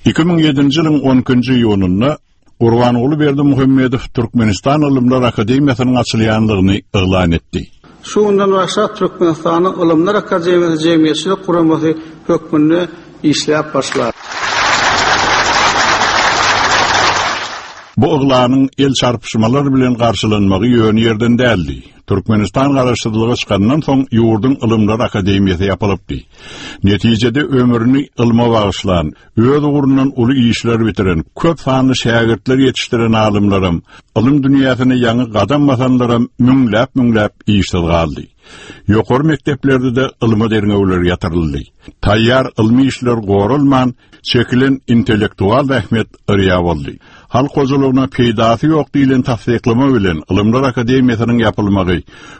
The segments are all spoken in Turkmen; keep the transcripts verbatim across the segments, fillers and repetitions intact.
Iki müň ýedinji ýylyň on ikinji iýunynda Gurbanguly Berdimuhamedow Türkmenistan Ylymlar Akademiýasynyň açylýandygyny yglan etdi. Şu günden başlap Türkmenistanyň Ylymlar Akademiýasy jemgyýetçilik guramasy hökmünde işläp başlar. Bu yglanyň el çarpyşmalar bilen garşylanmagy ýöne ýerden däldi. Türkmenistan garaşsyzlyga çykandan soň ýurduň Ylymlar Akademiýasy ýapylypdy. Netijede ömrüni ylma bagyşlan, öz ugrundan uly işler bitiren, köp sanly şägirtler ýetişdiren alymlaram, ylym dünýäsine ýaňy gadam basanlaram müňläp-müňläp işsiz galdy. Ýokary mekdeplerde-de ylmy derňewler ýatyryldy. Taýýar ylmy işler goralman, çekilen intellektual zähmet yrýa boldy. Halk hojalygyna peýdasy ýok diýlen tassyklama bilen Ylymlar Akademiýasynyň ýapylmagy,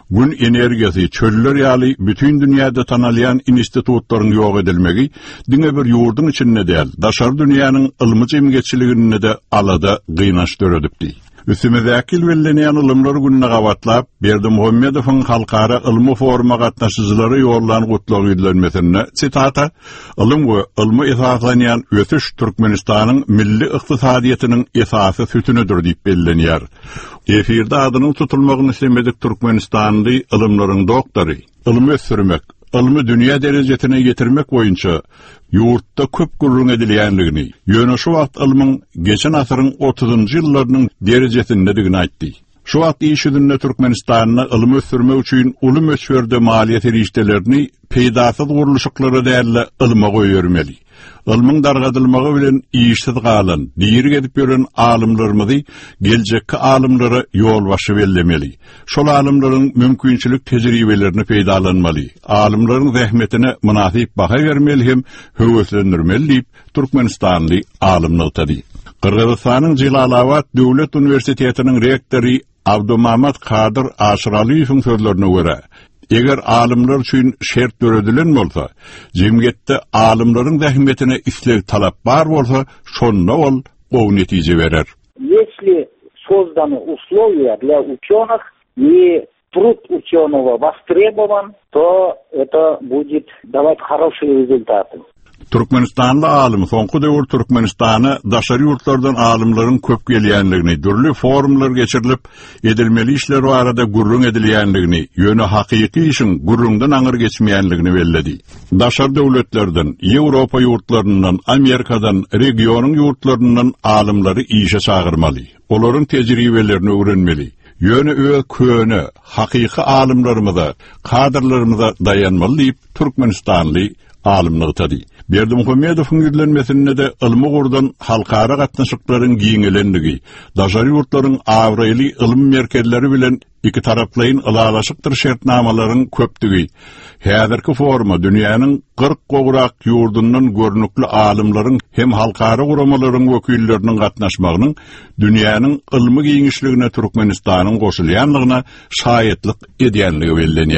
gün energiýasy, çöller ýaly bütin dünýäde tanalýan institutlaryň ýok edilmegi diňe bir ýurduň içinde däl, daşary dünýäniň ylmy jemgyýetçiliginde-de alada gynanç döredipdi. Üstümizdäki ýyl bellenýän Ylymlar gününe gabatlap, Berdimuhamedowyň halkara ylmy foruma gatnaşyjylara ýollan gutlag ýüzlenmesinde, sitata, Ylym we ylmy esaslanýan ösüş Türkmenistanyň milli ykdysadyýetiniň esasy sütünidir diýip bellenýär. Efirde adynyň tutulmagyny islemedik türkmenistanly ylymlaryň doktory, ylmy ösdürmek, ylmy dünýä derejesine ýetirmek boýunça ýurtda köp gürrüň edilýänligini, ýöne şu wagt ylmyň geçen asyryň otuzynjy ýyllarynyň derejesindedigini aýtdy. Şu wagt iş ýüzünde Türkmenistanda ylmy ösdürmek üçin uly möçberde maliýe serişdelerini peýdasyz gurluşyklara däl-de ylma goýbermeli. Ylmyň dargadylmagy bilen işsiz galan, diri gezip ýören alymlarymyzy geljekki alymlara ýolbaşçy bellemeli. Şol alymlaryň mümkinçilik tejribelerini peýdalanmaly. Alymlaryň zähmetine mynasyp baha bermeli hem höweslendirmeli diýip, Türkmenistanly alym nygtady. Gyrgyzystanyň Jelalabat Döwlet Uniwersitetiniň rektory Abdumamat Kadyr Aşyralyýewiň sözlerine görä, eger alymlar üçin şert döredilen bolsa, jemgyýetde alymlaryň zähmetine isleg talap bar bolsa, şonda ol gowy netije berer. Если созданы условия для ученых и труд ученого востребован, то это будет давать хорошие результаты. Türkmenistanly alym soňky döwür Türkmenistana daşary ýurtlardan alymlaryň köp gelýänligini, dürli forumlar geçirilip, edilmeli işler barada gürrüň edilýänligini, ýöne hakyky işiň gürrüňden aňyr geçmeýänligini belledi. Daşary döwletlerden, Ýewropa ýurtlaryndan, Amerikadan, regionyň ýurtlaryndan alymlary işe çagyrmaly, olaryň tejribelerini öwrenmeli. Ýöne öz köne, hakyky alymlarymyza, kadrlarymyza daýanmaly diýip, Türkmenistanly alym nygtady. Berdimuhamedowyň ýüzlenmesinde-de ylmy ugurdan halkara gatnaşyklaryň giňelenligi, daşary ýurtlaryň abraýly ylym merkezleri bilen iki taraplaýyn ylalaşykdyr şertnamalaryň köpdügi, häzirki foruma dünýäniň kyrk gowrak ýurdundan görnükli alymlaryň hem halkara guramalaryň wekilleriniň gatnaşmagynyň dünýäniň ylmy giňişligine Türkmenistanyň goşulýanlygyna şaýatlyk edýänligi bellenýär.